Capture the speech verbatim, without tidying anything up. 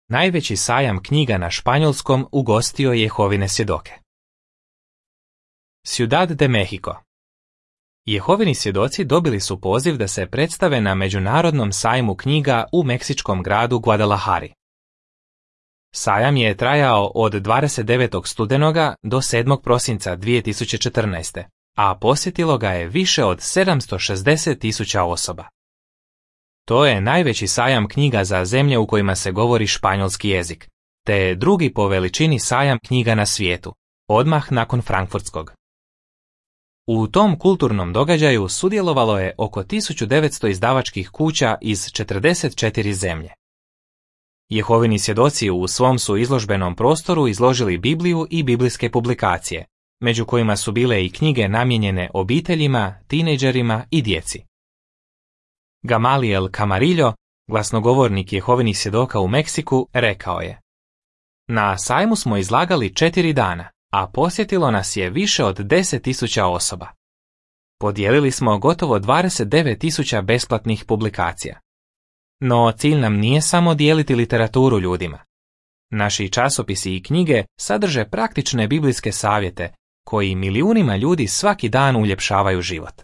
najveći sajam knjiga na španjolskom ugostio Jehovine svjedoke. Ciudad de Mexico. Jehovini svjedoci dobili su poziv da se predstave na Međunarodnom sajmu knjiga u meksičkom gradu Guadalajari. Sajam je trajao od dvadeset devetog studenoga do sedmog prosinca dvije tisuće četrnaeste. a posjetilo ga je više od sedamsto šezdeset tisuća osoba. To je najveći sajam knjiga za zemlje u kojima se govori španjolski jezik, te je drugi po veličini sajam knjiga na svijetu, odmah nakon frankfurtskog. U tom kulturnom događaju sudjelovalo je oko tisuću devetsto izdavačkih kuća iz četrdeset četiri zemlje. Jehovini svjedoci u svom su izložbenom prostoru izložili Bibliju i biblijske publikacije, među kojima su bile i knjige namijenjene obiteljima, tinejdžerima i djeci. Gamaliel Camarillo, glasnogovornik Jehovinih svjedoka u Meksiku, rekao je: Na sajmu smo izlagali četiri dana, a posjetilo nas je više od deset tisuća osoba. Podijelili smo gotovo dvadeset devet tisuća besplatnih publikacija. No cilj nam nije samo dijeliti literaturu ljudima. Naši časopisi i knjige sadrže praktične biblijske savjete koji milijunima ljudi svaki dan uljepšavaju život.